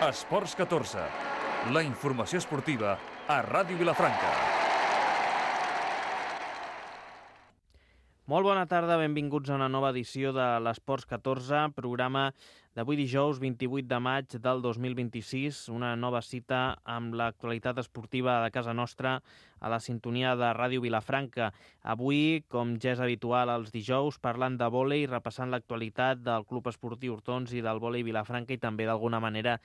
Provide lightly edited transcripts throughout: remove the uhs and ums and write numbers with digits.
Esports 14, la informació esportiva a Ràdio Vilafranca. Molt bona tarda, benvinguts a una nova edició de l'Esports 14, programa d'avui dijous 28 de maig del 2026, una nova cita amb l'actualitat esportiva de casa nostra a la sintonia de Ràdio Vilafranca. Avui, com ja és habitual els dijous, parlant de vòlei, repassant l'actualitat del Club Esportiu Hortons i del vòlei Vilafranca i també d'alguna manera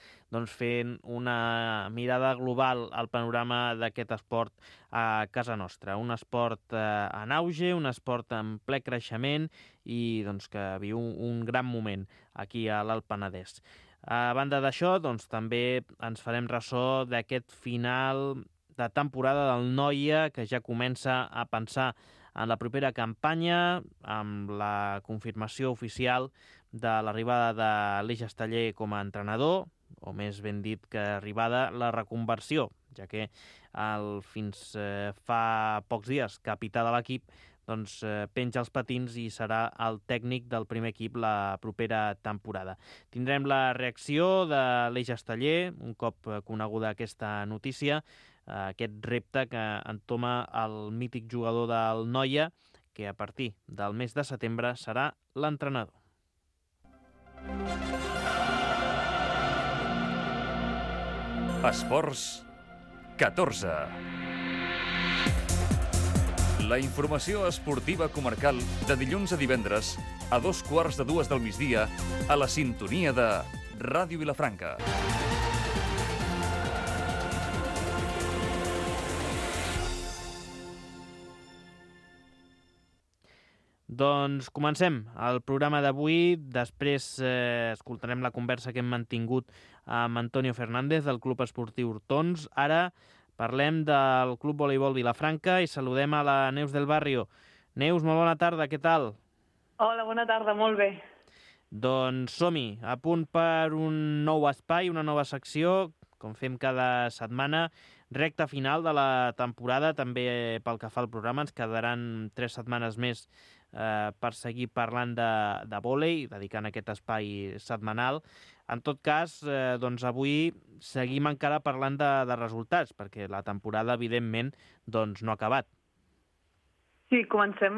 fent una mirada global al panorama d'aquest esport a casa nostra. Un esport en auge, un esport en ple creixement i que viu un gran moment aquí a l'Alt Penedès. A banda d'això, també ens farem ressò d'aquest final de temporada del Noia, que ja comença a pensar en la propera campanya, amb la confirmació oficial de l'arribada de l'Eix Esteller com a entrenador, o més ben dit que arribada la reconversió, ja que fins fa pocs dies capità de l'equip penja els patins i serà el tècnic del primer equip la propera temporada. Tindrem la reacció de l'Eix Esteller, un cop coneguda aquesta notícia, aquest repte que entoma el mític jugador del Noia, que a partir del mes de setembre serà l'entrenador. Esports 14. La informació esportiva comarcal de dilluns a divendres a 2:15 del migdia a la sintonia de Ràdio Vilafranca. Doncs comencem el programa d'avui. Després escoltarem la conversa que hem mantingut amb Antonio Fernández del Club Esportiu Hortons. Ara parlem del Club Voleibol Vilafranca i saludem a la Neus del Barrio. Neus, molt bona tarda, què tal? Hola, bona tarda, molt bé. Doncs som-hi, a punt per un nou espai, una nova secció, com fem cada setmana, recta final de la temporada, també pel que fa al programa. Ens quedaran 3 setmanes més per seguir parlant de vòlei, dedicant aquest espai setmanal. En tot cas, avui seguim encara parlant de resultats, perquè la temporada, evidentment, no ha acabat. Sí, començarem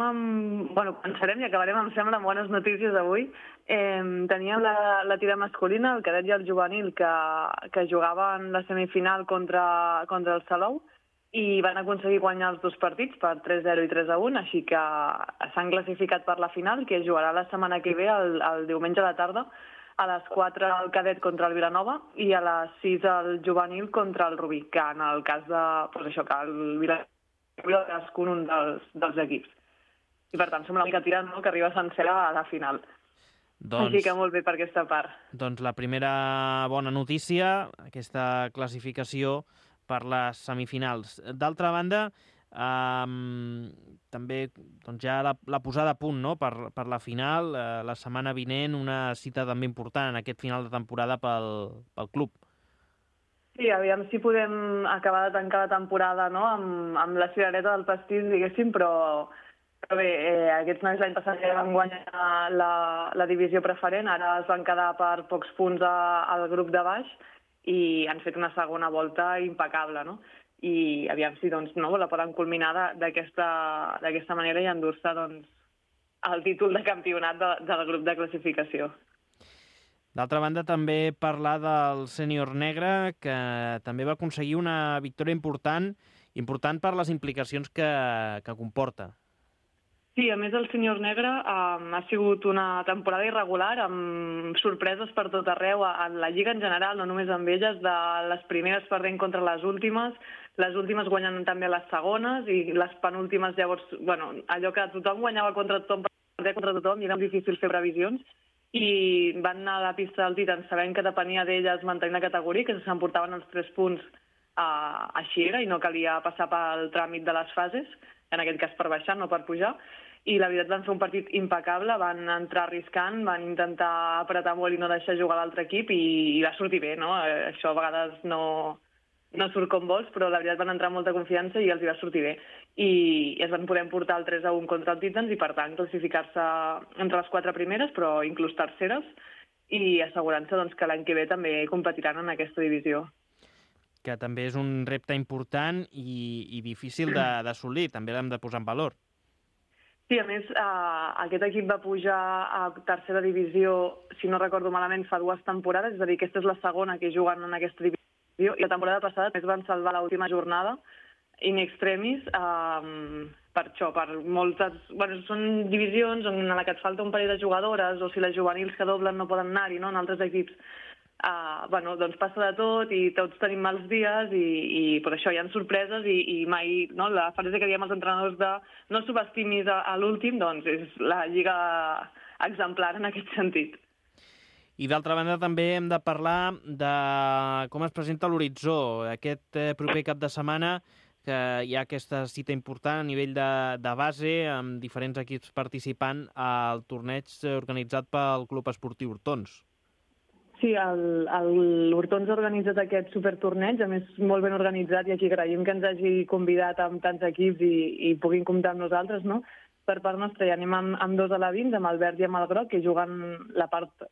i acabarem, em sembla, amb bones notícies avui. Teníem la tira masculina, el cadet i el juvenil, que jugaven la semifinal contra el Salou i van aconseguir guanyar els 2 partits per 3-0 i 3-1, així que s'han classificat per la final, que es jugarà la setmana que ve, el diumenge a la tarda, a les 4 el cadet contra el Vilanova i a les 6 el juvenil contra el Rubí, que en el cas de, que el Vilanova cadascun un dels equips. I per tant, som l'única tira que arriba sencera a la final. Així que molt bé per aquesta part. Doncs la primera bona notícia, aquesta classificació per les semifinals. D'altra banda, també ja la posada a punt per la final, la setmana vinent, una cita també important en aquest final de temporada pel club. Sí, aviam si podem acabar de tancar la temporada amb la cirereta del pastís, diguéssim, però bé, aquests nois l'any passat ja van guanyar la divisió preferent, ara es van quedar per pocs punts al grup de baix i han fet una segona volta impecable, no? I aviam si la poden culminar d'aquesta manera i endur-se el títol de campionat del grup de classificació. D'altra banda, també parlar del sènior negre, que també va aconseguir una victòria important per les implicacions que comporta. Sí, a més el sènior negre ha sigut una temporada irregular, amb sorpreses per tot arreu, en la Lliga en general, no només amb elles, de les primeres perdent contra les últimes guanyen també les segones, i les penúltimes llavors, allò que tothom guanyava contra tothom, perdia contra tothom, i era difícil fer previsions, i van anar a la pista del Titans sabent que depenia d'elles mantenir la categoria, que s'emportaven els 3 punts així era, i no calia passar pel tràmit de les fases, en aquest cas per baixar, no per pujar, i la veritat van fer un partit impecable, van entrar arriscant, van intentar apretar molt i no deixar jugar l'altre equip i va sortir bé, no? Això a vegades no surt com vols, però la veritat van entrar amb molta confiança i els hi va sortir bé. I es van poder emportar el 3-1 contra el Titans i per tant classificar-se entre les 4 primeres, però inclús terceres, i assegurant-se doncs, que l'any que ve també competiran en aquesta divisió. Que també és un repte important i difícil d'assolir, també l'hem de posar en valor. Sí, a més, aquest equip va pujar a tercera divisió, si no recordo malament, fa 2 temporades, és a dir, aquesta és la segona que juguen en aquesta divisió, i la temporada passada més van salvar l'última jornada, in extremis, per això, per moltes... Bueno, són divisions en la que et falta un parell de jugadores, o si les juvenils que doblen no poden anar-hi, no?, en altres equips. Bueno, doncs passa de tot i tots tenim mals dies i per això hi ha sorpreses i mai, no, la frase que diem als entrenadors de no subestimis a l'últim, doncs és la lliga exemplar en aquest sentit. I d'altra banda també hem de parlar de com es presenta l'horitzó. Aquest proper cap de setmana que hi ha aquesta cita important a nivell de base amb diferents equips participant al torneig organitzat pel Club Esportiu Hortons. Sí, l'Hortons ha organitzat aquest supertorneig, a més molt ben organitzat, i aquí agraïm que ens hagi convidat amb tants equips i puguin comptar amb nosaltres, no? Per part nostra hi anem amb 2 alevins, amb el verd i amb el groc, que juguen la part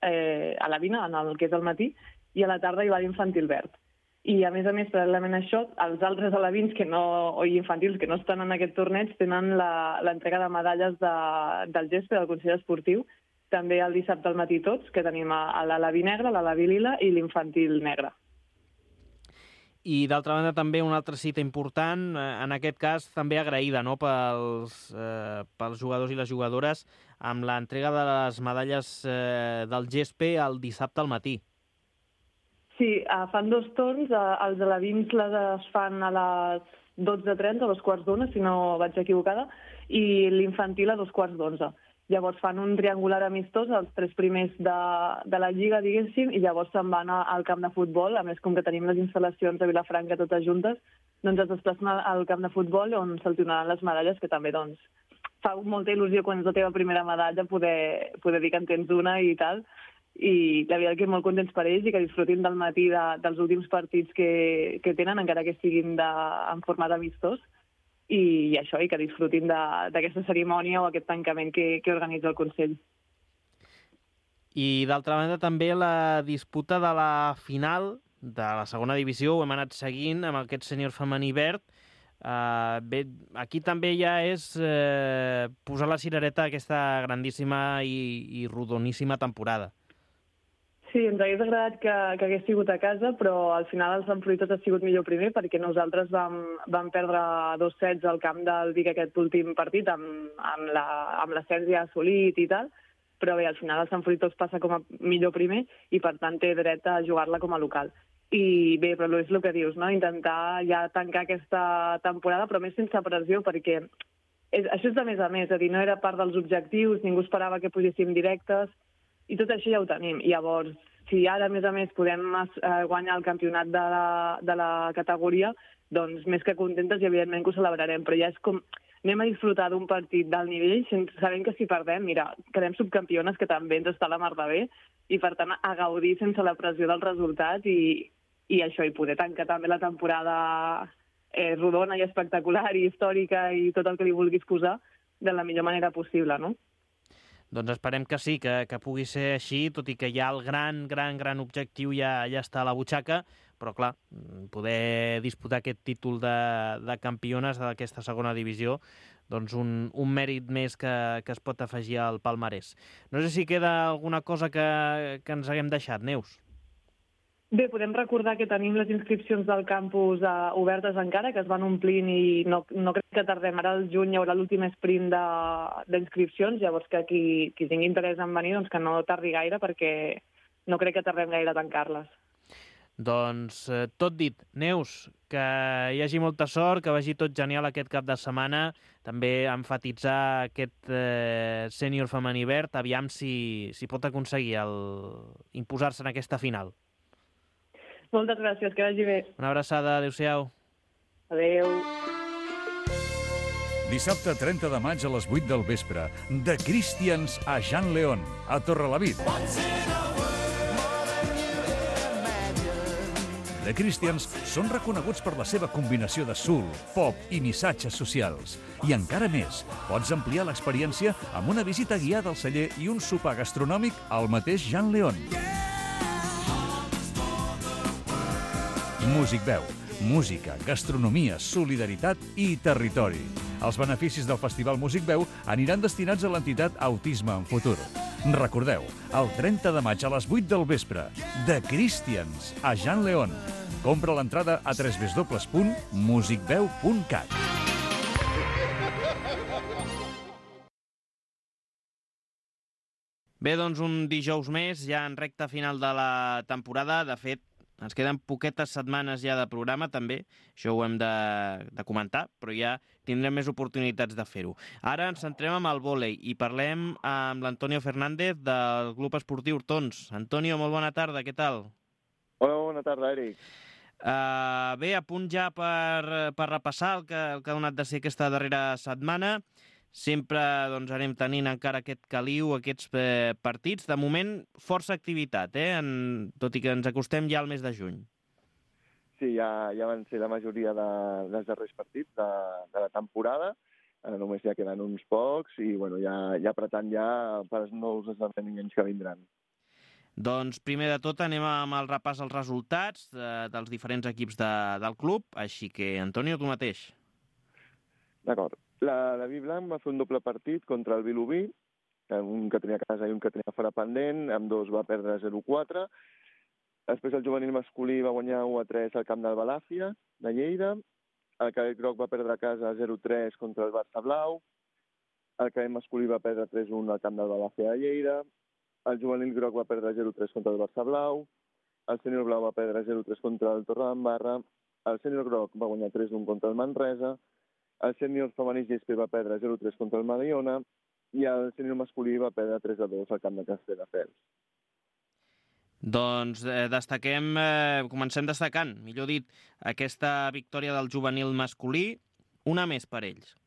alevina, en el que és el matí, i a la tarda hi va l'infantil verd. I a més, paral·lelament a això, els altres alevins o infantils que no estan en aquest torneig tenen l'entrega de medalles del GESPE, del Consell Esportiu, també el dissabte al matí tots, que tenim l'aleví negre, l'aleví lila i l'infantil negre. I d'altra banda també una altra cita important, en aquest cas també agraïda, no?, pels jugadors i les jugadores, amb l'entrega de les medalles del GESPE el dissabte al matí. Sí, fan 2 torns, els alevins les fan a les 12:30, a 2:15, si no vaig equivocada, i l'infantil a 2:15. Llavors fan un triangular amistós, els 3 primers de la lliga, diguéssim, i llavors se'n van al camp de futbol. A més, com que tenim les instal·lacions a Vilafranca totes juntes, doncs es desplacen al camp de futbol on se'ls donaran les medalles, que també doncs, fa molta il·lusió quan és la teva primera medalla poder dir que en tens una i tal. I la veritat que molt contents per ells i que disfrutin del matí dels últims partits que tenen, encara que siguin en format amistós. I això, i que disfrutin d'aquesta cerimònia o aquest tancament que organitza el Consell. I d'altra banda també la disputa de la final de la segona divisió, ho hem anat seguint amb aquest sènior femení verd. Bé, aquí també ja és posar la cirereta a aquesta grandíssima i rodoníssima temporada. Sí, ens hagués agradat que hagués sigut a casa, però al final el Sant Fruitós ha sigut millor primer perquè nosaltres vam perdre 2 sets al camp del Vic aquest últim partit amb l'ascens ja assolit i tal, però bé, al final el Sant Fruitós passa com a millor primer i per tant té dret a jugar-la com a local. I bé, però és el que dius, no? Intentar ja tancar aquesta temporada, però més sense pressió perquè això és de més a més, és a dir, no era part dels objectius, ningú esperava que pugéssim directes, i tot això ja ho tenim. Llavors, si ara, a més, podem guanyar el campionat de la categoria, doncs més que contentes i evidentment que ho celebrarem. Però ja és com, anem a disfrutar d'un partit d'alt nivell, sabent que si perdem, mira, quedem subcampiones, que també ens està la mar de bé, i per tant a gaudir sense la pressió del resultat i això, i poder tancar també la temporada rodona i espectacular i històrica i tot el que li vulguis posar de la millor manera possible, no? Doncs esperem que sí, que pugui ser així, tot i que ja el gran objectiu ja està a la butxaca, però clar, poder disputar aquest títol de campiones d'aquesta segona divisió, doncs un mèrit més que es pot afegir al palmarès. No sé si queda alguna cosa que ens haguem deixat, Neus. Bé, podem recordar que tenim les inscripcions del campus obertes encara, que es van omplint i no crec que tardem. Ara al juny hi haurà l'últim sprint d'inscripcions, llavors que qui tingui interès en venir, doncs que no tardi gaire perquè no crec que tardem gaire a tancar-les. Doncs tot dit. Neus, que hi hagi molta sort, que vagi tot genial aquest cap de setmana, també emfatitzar aquest sènior femení verd, aviam si pot aconseguir imposar-se en aquesta final. Moltes gràcies, que vagi bé. Una abraçada, adéu-siau. Adéu. Dissabte 30 de maig a les 8 del vespre, de Christians a Jean León, a Torrelavit. The Christians són reconeguts per la seva combinació de soul, pop i missatges socials. I encara més, pots ampliar l'experiència amb una visita guiada al celler i un sopar gastronòmic al mateix Jean León. Music Veu. Música, gastronomia, solidaritat i territori. Els beneficis del Festival Music Veu aniran destinats a l'entitat Autisme en Futur. Recordeu, el 30 de maig a les 8 del vespre, The Christians, a Jean León. Compra l'entrada a www.musicveu.cat. Bé, doncs un dijous més, ja en recta final de la temporada. De fet, ens queden poquetes setmanes ja de programa, també. Això ho hem de comentar, però ja tindrem més oportunitats de fer-ho. Ara ens centrem amb el vòlei i parlem amb l'Antonio Fernández del Club Esportiu Hortons. Antonio, molt bona tarda, què tal? Hola, bona tarda, Eric. Bé, a punt ja per repassar el que ha donat de ser aquesta darrera setmana. Sempre doncs, anem tenint encara aquest caliu, aquests partits. De moment, força activitat, tot i que ens acostem ja al mes de juny. Sí, ja van ser la majoria dels darrers partits de la temporada. Només ja queden uns pocs i bueno, ja apretant ja per als nous esdeveniments que vindran. Doncs primer de tot anem amb el repàs als resultats dels diferents equips del club. Així que, Antonio, tu mateix. D'acord. La Viblanc va fer un doble partit contra el Vilobí, un que tenia a casa i un que tenia fora pendent, amb dos va perdre 0-4. Després el juvenil masculí va guanyar 1-3 al camp del Balàfia, de Lleida. El cadet groc va perdre a casa 0-3 contra el Barça Blau. El cadet masculí va perdre 3-1 al camp del Balàfia de Lleida. El juvenil groc va perdre 0-3 contra el Barça Blau. El sènior blau va perdre 0-3 contra el Torredembarra. El sènior groc va guanyar 3-1 contra el Manresa. El sènior femení GSP va perdre 0-3 contra el Mediona i el sènior masculí va perdre 3-2 al camp de Castelldefels. Doncs comencem destacant, millor dit, aquesta victòria del juvenil masculí, una més per ells.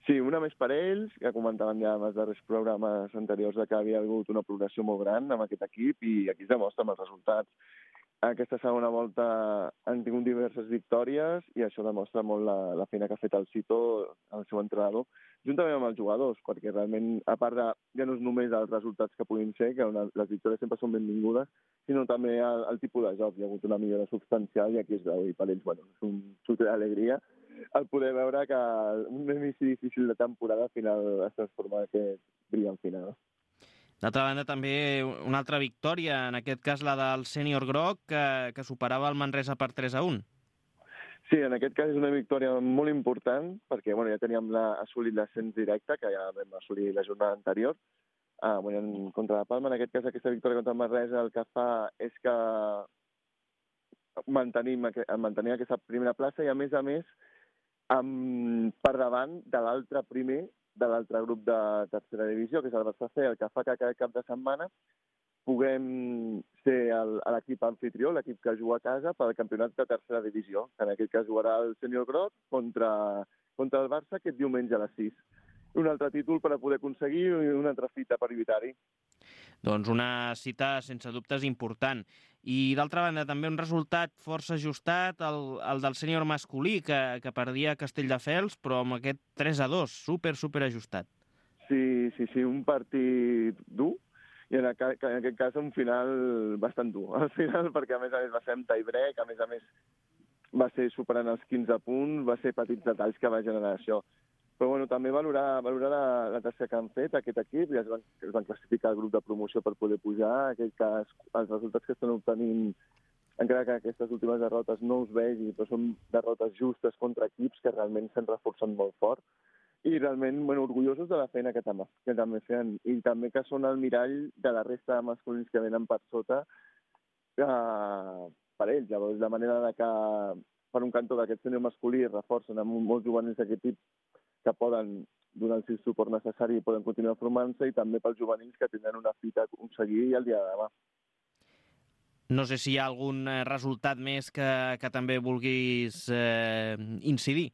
Sí, una més per ells, que comentaven ja en els darrers programes anteriors que havia hagut una progressió molt gran amb aquest equip i aquí es demostra amb els resultats. Aquesta segona volta han tingut diverses victòries i això demostra molt la feina que ha fet el Cito, el seu entrenador, juntament amb els jugadors, perquè realment, a part de, ja no és només els resultats que puguin ser, que les victòries sempre són benvingudes, sinó també el tipus de joc. Hi ha hagut una millora substancial i aquí es veu, i per ells, bueno, és un xup d'alegria el poder veure que un inici difícil de temporada al final es transforma en aquest brillant final. D'altra banda, també una altra victòria, en aquest cas la del sènior groc, que superava el Manresa per 3-1. Sí, en aquest cas és una victòria molt important, perquè bueno, ja teníem assolit l'ascens directe, que ja vam assolir la jornada anterior, guanyant contra la Palma. En aquest cas, aquesta victòria contra el Manresa el que fa és que mantenim aquesta primera plaça i, a més, per davant de l'altre primer, de l'altre grup de tercera divisió, que és el Barça C, el que fa que cada cap de setmana puguem ser l'equip anfitrió, l'equip que juga a casa pel campionat de tercera divisió, que en aquest cas jugarà el sènior groc contra el Barça aquest diumenge a les 6. Un altre títol per a poder aconseguir una altra cita per evitar-hi. Doncs una cita sense dubtes important. I d'altra banda també un resultat força ajustat, el del sènior masculí, que perdia a Castelldefels, però amb aquest 3-2, super ajustat. Sí, un partit dur, i en aquest cas un final bastant dur. Al final, perquè a més va ser amb tie-break, a més va ser superant els 15 punts, va ser petits detalls que va generar això. Però bueno, també valorar la tasca que han fet aquest equip, ja es van classificar el grup de promoció per poder pujar. En aquest cas, els resultats que estan obtenint, encara que aquestes últimes derrotes no us vegi, però són derrotes justes contra equips que realment s'han reforçat molt fort i realment orgullosos de la feina que també feien, i també que són el mirall de la resta de masculins que venen per sota per ells. Llavors, la manera de que per un cantó d'aquest sènior masculí reforcen amb molts juvenils d'aquest tipus que poden donar el suport necessari i poden continuar formant-se, i també pels juvenils que tindran una fita a aconseguir el dia de demà. No sé si hi ha algun resultat més que també vulguis incidir.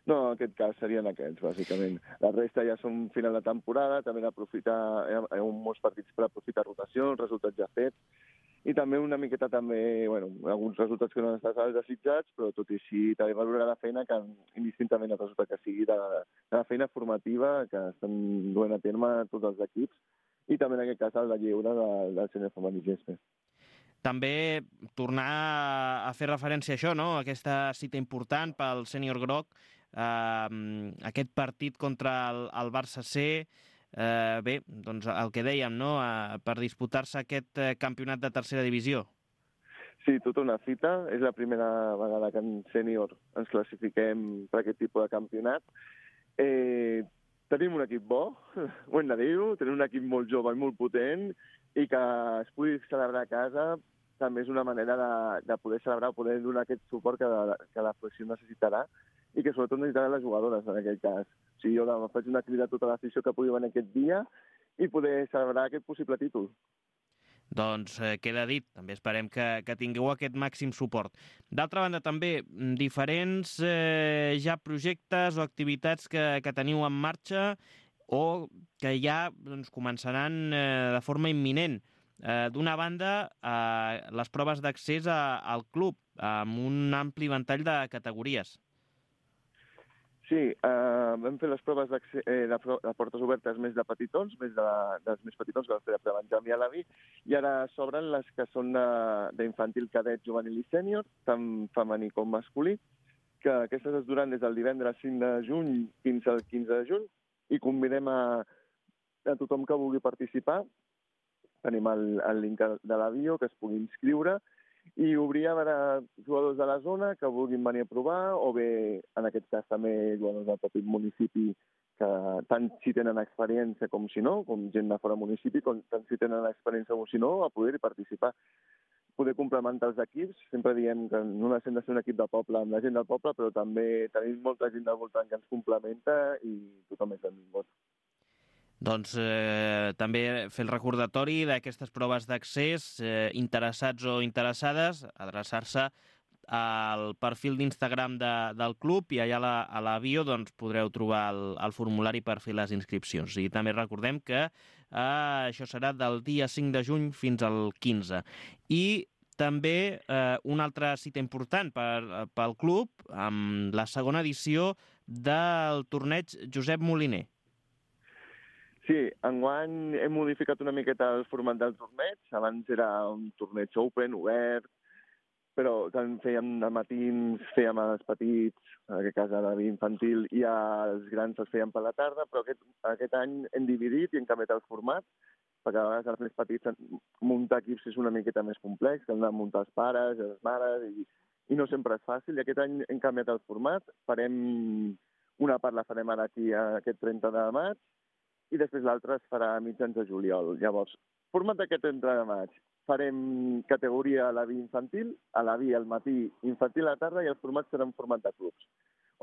No, en aquest cas serien aquests, bàsicament. La resta ja són final de temporada, també d'aprofitar, hi ha molts partits per aprofitar rotació, els resultats ja fets, i també una miqueta també, alguns resultats que no han estat els desitjats, però tot i així també valorar la feina que indistintament el resultat que sigui de la feina formativa que estan duent a terme tots els equips i també en aquest cas el de lleure del sènior femení gespa. També tornar a fer referència a això, no? Aquesta cita important pel sènior groc, aquest partit contra el Barça C. Bé, doncs el que dèiem, no? Per disputar-se aquest campionat de tercera divisió. Sí, tota una fita. És la primera vegada que en sènior ens classifiquem per aquest tipus de campionat. Tenim un equip bo, ho hem de dir-ho, tenim un equip molt jove i molt potent i que es pugui celebrar a casa també és una manera de poder celebrar o poder donar aquest suport que la federació necessitarà i que sobretot necessitarà les jugadores en aquell cas. O sigui, jo faig una crida a tota l'afició que pugui venir aquest dia i poder celebrar aquest possible títol. Doncs queda dit, també esperem que tingueu aquest màxim suport. D'altra banda, també, diferents ja projectes o activitats que teniu en marxa o que ja començaran de forma imminent. D'una banda, les proves d'accés al club, amb un ampli ventall de categories. Sí, vam fer les proves de portes obertes més de petitons, dels més petitons que vam fer de Benjamí a l'Avi, i ara s'obren les que són d'infantil, cadet, juvenil i sènior, tant femení com masculí, que aquestes es duran des del divendres 5 de juny fins al 15 de juny, i convidem a tothom que vulgui participar. Tenim el link de la bio, que es pugui inscriure, i obrir a veure jugadors de la zona que vulguin venir a provar, o bé, en aquest cas també jugadors del propi municipi que tant si tenen experiència com si no, com gent de fora municipi, tant si tenen experiència com si no, a poder-hi participar. Poder complementar els equips, sempre diem que no necessitem de ser un equip de poble amb la gent del poble, però també tenim molta gent del voltant que ens complementa i tothom és benvingut. Doncs també fer el recordatori d'aquestes proves d'accés, interessats o interessades, adreçar-se al perfil d'Instagram del club i allà a la bio podreu trobar el formulari per fer les inscripcions. I també recordem que això serà del dia 5 de juny fins al 15. I també una altra cita important pel club, amb la segona edició del torneig Josep Moliner. Sí, enguany hem modificat una miqueta el format del torneig. Abans era un torneig open, obert, però tant fèiem de matins, fèiem als petits, en aquest cas a la infantil, i als grans els fèiem per la tarda, però aquest any hem dividit i hem canviat el format, perquè a vegades els més petits muntar equips és una miqueta més complex, que han de muntar els pares, les mares, i no sempre és fàcil. I aquest any hem canviat el format, una part la farem ara aquí aquest 30 de maig, i després l'altra es farà a mitjans de juliol. Llavors, format d'aquest 30 de maig, farem categoria a la vi infantil, a la vi al matí, infantil a la tarda, i el format serà en format de clubs,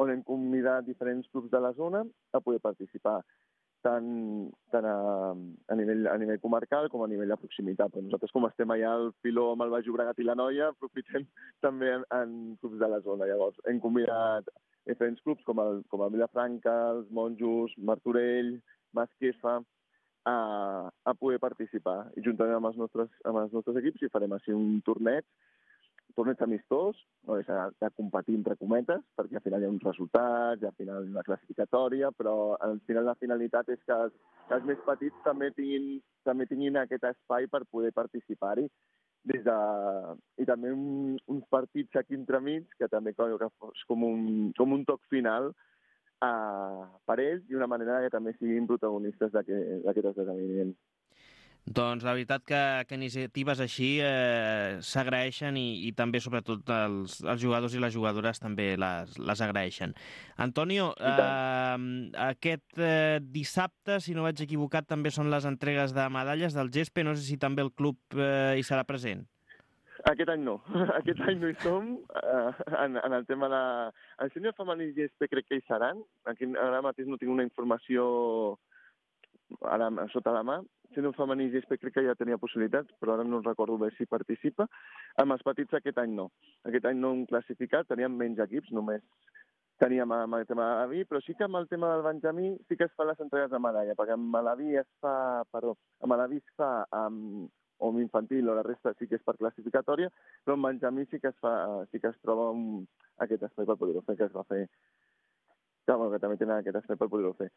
on hem convidat diferents clubs de la zona a poder participar, tant a nivell comarcal com a nivell de proximitat. Però nosaltres, com estem allà al filó amb el Baix Llobregat i la Noia, aprofitem també en clubs de la zona. Llavors, hem convidat diferents clubs com el Vilafranca, els Monjos, Martorell, Masquefa, a poder participar. I juntament amb els nostres equips hi farem així un torneig amistós, no és de competir entre cometes, perquè al final hi ha uns resultats, i al final una classificatòria, però al final la finalitat és que els més petits també tinguin aquest espai per poder participar-hi. I també uns partits aquí entremig, que també és com un toc final per ells i una manera que també siguin protagonistes d'aquest esdeveniment. Doncs la veritat que iniciatives així s'agraeixen i també, sobretot, els jugadors i les jugadores també les agraeixen. Antonio, aquest dissabte, si no vaig equivocat, també són les entregues de medalles del GESPE. No sé si també el club hi serà present. Aquest any no. Aquest any no hi som. En el tema de... El sènior femení i GESPE crec que hi seran. Ara mateix no tinc una informació sota la mà. Sènior femení i GESPE crec que ja tenia possibilitats, però ara no recordo bé si participa. Amb els petits aquest any no. Aquest any no hem classificat, teníem menys equips, només teníem amb el tema de l'AVI, però sí que amb el tema del Benjamí sí que es fan les entregues de medalla, perquè amb l'AVI es fa o amb infantil, o la resta sí que és per classificatòria, però en Benjamí sí que es troba aquest espai per poder-ho fer, que es va fer, que també tenen aquest espai per poder-ho fer.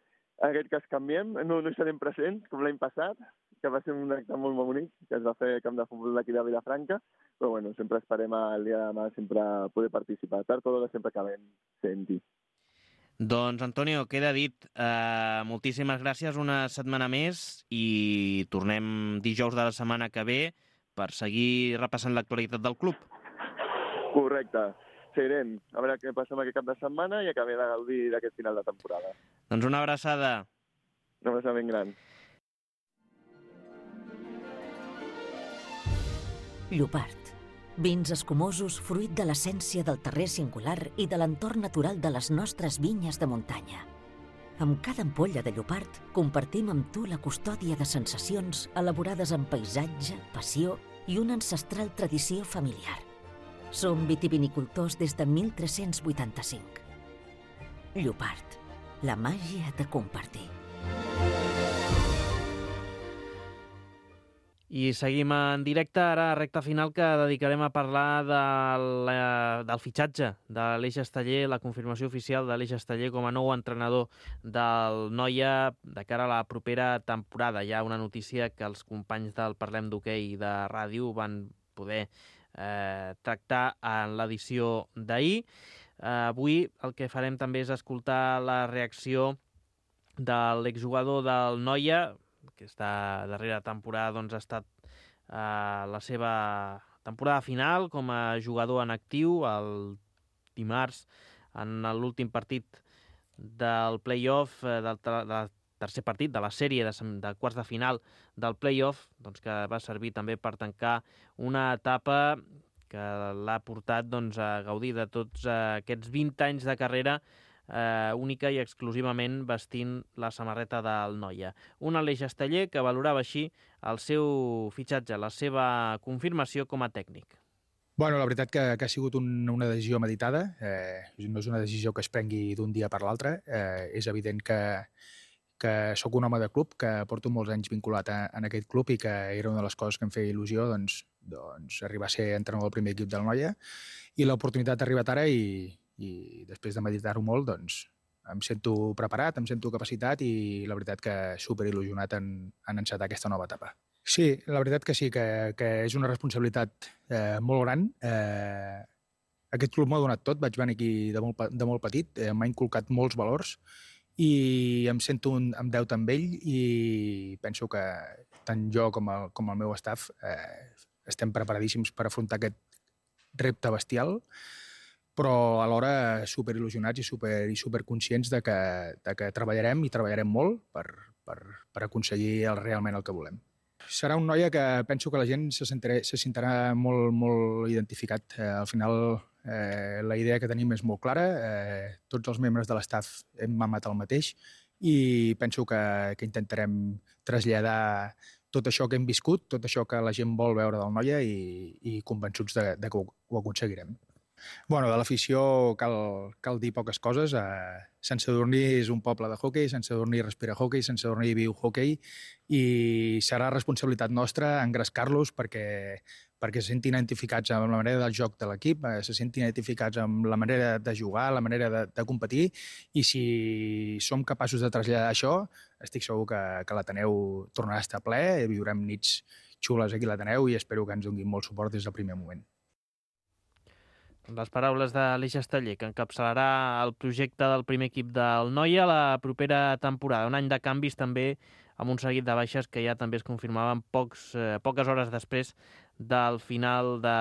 En aquest cas canviem, no hi serem presents, com l'any passat, que va ser un acte molt bonic, que es va fer al camp de futbol d'aquí de Vilafranca, però bueno, sempre esperem el dia de demà sempre poder participar. Tard o d'hora sempre acabem sent-hi. Doncs, Antonio, queda dit. Moltíssimes gràcies una setmana més i tornem dijous de la setmana que ve per seguir repassant l'actualitat del club. Correcte. Seguirem. A veure què passa amb aquest cap de setmana i acabem de gaudir d'aquest final de temporada. Doncs una abraçada. Una abraçada ben gran. Llopart. Vins escumosos fruit de l'essència del terrer singular i de l'entorn natural de les nostres vinyes de muntanya. Amb cada ampolla de Llopart compartim amb tu la custòdia de sensacions elaborades amb paisatge, passió i una ancestral tradició familiar. Som vitivinicultors des de 1385. Llopart, la màgia de compartir. I seguim en directe, ara a recta final, que dedicarem a parlar del fitxatge de l'Eix Esteller, la confirmació oficial de l'Eix Esteller com a nou entrenador del Noia de cara a la propera temporada. Hi ha una notícia que els companys del Parlem d'Hoquei de ràdio van poder tractar en l'edició d'ahir. Avui el que farem també és escoltar la reacció de l'exjugador del Noia. Aquesta darrera temporada doncs, ha estat la seva temporada final com a jugador en actiu. El dimarts, en l'últim partit del play-off, del tercer partit de la sèrie de quarts de final del play-off, doncs, que va servir també per tancar una etapa que l'ha portat doncs, a gaudir de tots aquests 20 anys de carrera única i exclusivament vestint la samarreta del Noia. Un Aleix Esteller que valorava així el seu fitxatge, la seva confirmació com a tècnic. Bueno, la veritat que ha sigut una decisió meditada. No és una decisió que es prengui d'un dia per l'altre. És evident que sóc un home de club, que porto molts anys vinculat en aquest club i que era una de les coses que em feia il·lusió doncs arribar a ser entrenador del primer equip del Noia, i l'oportunitat ha arribat ara i després de meditar-ho molt, doncs, em sento preparat, em sento capacitat i la veritat que superil·lusionat en encetar aquesta nova etapa. Sí, la veritat que sí, que és una responsabilitat molt gran. Aquest club m'ha donat tot, vaig venir aquí de molt petit, m'ha inculcat molts valors i em sento en deute amb ell i penso que tant jo com el meu staff estem preparadíssims per afrontar aquest repte bestial, però alhora superil·lusionats i superconscients de que treballarem i treballarem molt per aconseguir realment el que volem. Serà un Noia que penso que la gent se sentirà molt, molt identificat. Al final la idea que tenim és molt clara, tots els membres de l'estaf hem mamat el mateix i penso que intentarem traslladar tot això que hem viscut, tot això que la gent vol veure del Noia i convençuts de que ho aconseguirem. Bueno, de l'afició cal dir poques coses. Sant Sadurní és un poble de hoquei, Sant Sadurní respira hoquei, Sant Sadurní viu hoquei i serà responsabilitat nostra engrescar-los perquè se sentin identificats amb la manera del joc de l'equip, se sentin identificats amb la manera de jugar, la manera de competir, i si som capaços de traslladar això, estic segur que l'Ateneu tornarà a estar ple, viurem nits xules aquí a l'Ateneu i espero que ens donin molt suport des del primer moment. Les paraules d'Aleix Esteller, que encapçalarà el projecte del primer equip del Noia la propera temporada. Un any de canvis també, amb un seguit de baixes que ja també es confirmaven poques hores després del final de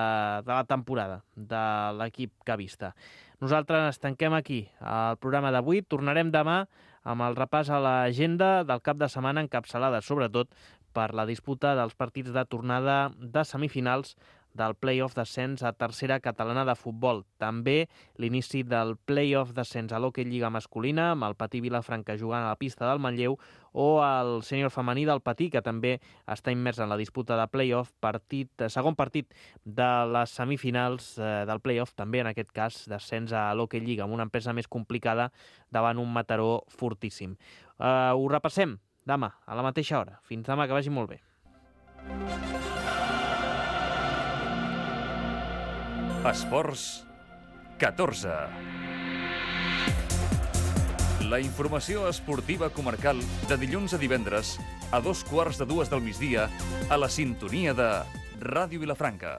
la temporada de l'equip cavista. Nosaltres tanquem aquí el programa d'avui. Tornarem demà amb el repàs a l'agenda del cap de setmana, encapçalada sobretot per la disputa dels partits de tornada de semifinals del play-off d'ascens a tercera catalana de futbol. També l'inici del play-off d'ascens a l'Hockey Lliga masculina, amb el Patí Vilafranca jugant a la pista del Manlleu, o el sènior femení del Patí, que també està immers en la disputa de play-off, segon partit de les semifinals del play-off, també en aquest cas d'ascens a l'Hockey Lliga, amb una empresa més complicada davant un Mataró fortíssim. Ho repassem demà, a la mateixa hora. Fins demà, que vagi molt bé. Esports 14. La informació esportiva comarcal de dilluns a divendres a 2:15 del migdia a la sintonia de Ràdio Vilafranca.